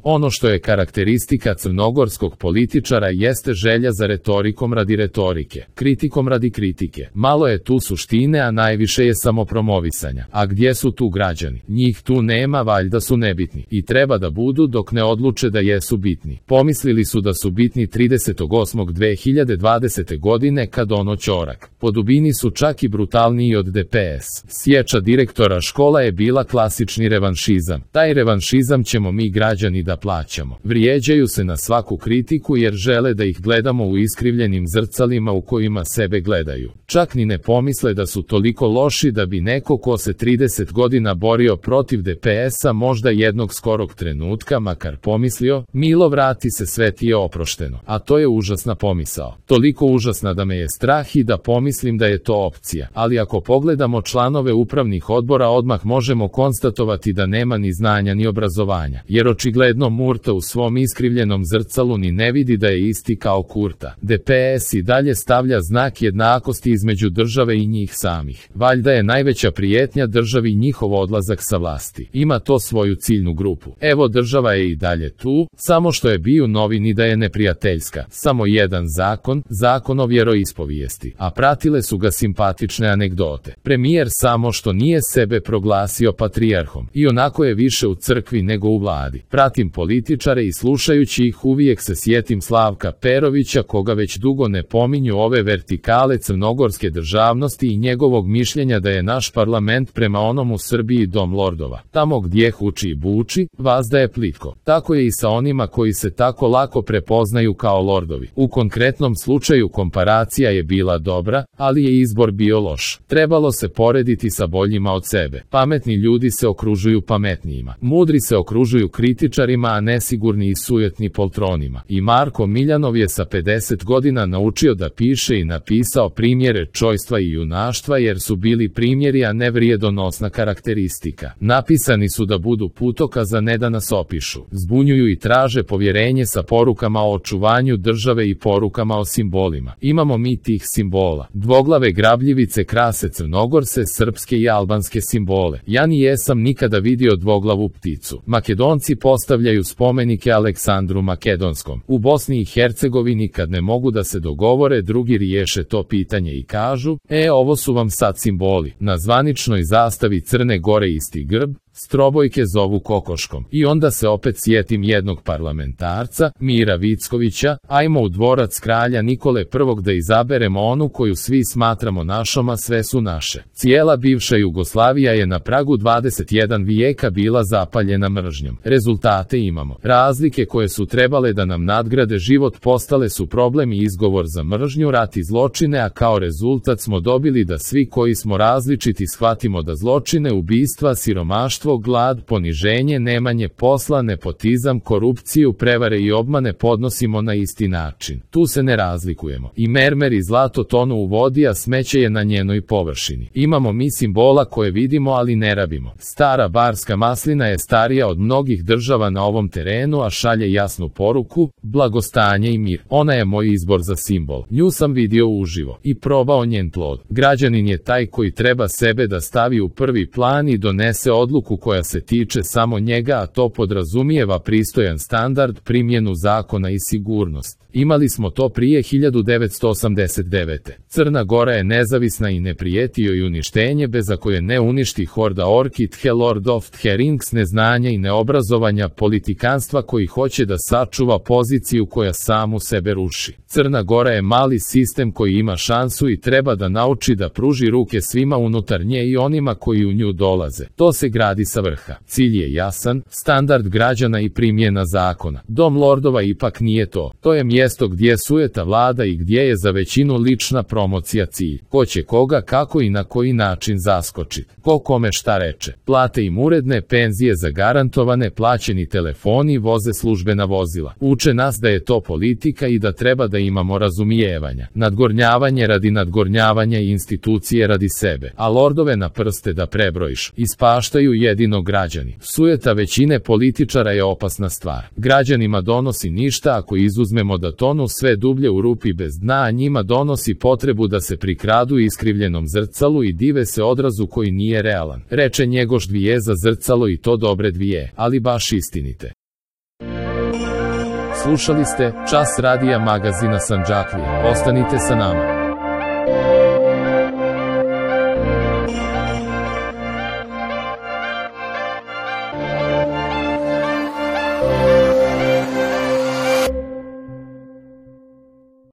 Ono što je karakteristika crnogorskog političara jeste želja za retorikom radi retorike, kritikom radi kritike. Malo je tu suštine, a najviše je samopromovisanja. A gdje su tu građani? Njih tu nema, valjda su nebitni. I treba da budu dok ne odluče da jesu bitni. Pomislili su da su bitni 30.8.2020. godine kad ono ćorak. Po dubini su čak i brutalniji od DPS. Sječa direktora škola je bila klasični revanšizam. Taj revanšizam ćemo mi građani da plaćamo. Vrijeđaju se na svaku kritiku jer žele da ih gledamo u iskrivljenim zrcalima u kojima sebe gledaju. Čak ni ne pomisle da su toliko loši da bi neko ko se 30 godina borio protiv DPS-a možda jednog skorog trenutka makar pomislio, milo vrati se, sve ti je oprošteno. A to je užasna pomisao. Toliko užasna da me je strah i da pomislim da je to opcija. Ali ako pogledamo članove upravnih odbora odmah možemo konstatovati da nema ni znanja ni obrazovanja. Jer očigledno Murta u svom iskrivljenom zrcalu ni ne vidi da je isti kao Kurta. DPS i dalje stavlja znak jednakosti između države i njih samih. Valjda je najveća prijetnja državi njihov odlazak sa vlasti. Ima to svoju ciljnu grupu. Evo, država je i dalje tu, samo što je bio novini da je neprijateljska. Samo jedan zakon o vjeroispovijesti, a pratile su ga simpatične anegdote. Premijer samo što nije sebe proglasio patrijarhom. I onako je više u crkvi nego u vladi. Pratim političare i slušajući ih uvijek se sjetim Slavka Perovića, koga već dugo ne pominju ove vertikale crnogorske državnosti i njegovog mišljenja da je naš parlament prema onom u Srbiji dom lordova. Tamo gdje huči i buči, vazda je plitko. Tako je i sa onima koji se tako lako prepoznaju kao lordovi. U konkretnom slučaju komparacija je bila dobra, ali je izbor bio loš. Trebalo se porediti sa boljima od sebe. Pametni ljudi se okružuju pametnijima. Mudri se okružuju kritičarima, a nesigurni i sujetni poltronima. I Marko Miljanov je sa 50 godina naučio da piše i napisao primjere čojstva i junaštva jer su bili primjeri, a ne vrijedonosna karakteristika. Napisani su da budu putokaz, a ne da nas opišu. Zbunjuju i traže povjerenje sa porukama o očuvanju države i porukama o simbolima. Imamo mi tih simbola. Dvoglave grabljivice krase Crnogorce, srpske i albanske simbole. Ja ni jesam nikada vidio dvoglavu pticu. Makedonci postavljaju spomenike Aleksandru Makedonskom. U Bosni i Hercegovini kad ne mogu da se dogovore, drugi riješe to pitanje i kažu, ovo su vam sad simboli. Na zvaničnoj zastavi Crne Gore isti grb, strobojke zovu kokoškom. I onda se opet sjetim jednog parlamentarca, Mira Vickovića, ajmo u dvorac kralja Nikole I da izaberemo onu koju svi smatramo našom, a sve su naše. Cijela bivša Jugoslavija je na pragu 21 vijeka bila zapaljena mržnjom. Rezultate imamo. Razlike koje su trebale da nam nadgrade život postale su problem i izgovor za mržnju, rat i zločine, a kao rezultat smo dobili da svi koji smo različiti shvatimo da zločine, ubistva, siromaštvo, glad, poniženje, nemanje posla, nepotizam, korupciju, prevare i obmane podnosimo na isti način. Tu se ne razlikujemo. I mermer i zlato tonu u vodi, a smeće je na njenoj površini. Imamo mi simbola koje vidimo, ali ne rabimo. Stara barska maslina je starija od mnogih država na ovom terenu, a šalje jasnu poruku, blagostanje i mir. Ona je moj izbor za simbol. Nju sam vidio uživo i probao njen plod. Građanin je taj koji treba sebe da stavi u prvi plan i donese odluku koja se tiče samo njega, a to podrazumijeva pristojan standard, primjenu zakona i sigurnost. Imali smo to prije 1989. Crna Gora je nezavisna i ne prijeti joj uništenje bez ako je ne uništi horda Orchid Lord of the Rings, neznanja i neobrazovanja, politikanstva koji hoće da sačuva poziciju koja samu sebe ruši. Crna Gora je mali sistem koji ima šansu i treba da nauči da pruži ruke svima unutar nje i onima koji u nju dolaze. To se gradi sa vrha. Cilj je jasan, standard građana i primjena zakona. Dom lordova ipak nije to. To je mjesto gdje sujeta vlada i gdje je za većinu lična promocija cilj. Ko će koga, kako i na koji način zaskočiti. Ko kome šta reče. Plate im uredne, penzije zagarantovane, plaćeni telefoni, voze službena vozila. Uče nas da je to politika i da treba da imamo razumijevanja. Nadgornjavanje radi nadgornjavanja i institucije radi sebe. A lordove na prste da prebrojiš. Ispaštaju jedino građani. Sujeta većine političara je opasna stvar. Građanima donosi ništa ako izuzmemo da tonu sve dublje u rupi bez dna, a njima donosi potrebu da se prikradu iskrivljenom zrcalu i dive se odrazu koji nije realan. Reče Njegoš, dvije za zrcalo i to dobre dvije, ali baš istinite. Slušali ste Čas radija magazina Sandžaklija. Ostanite sa nama.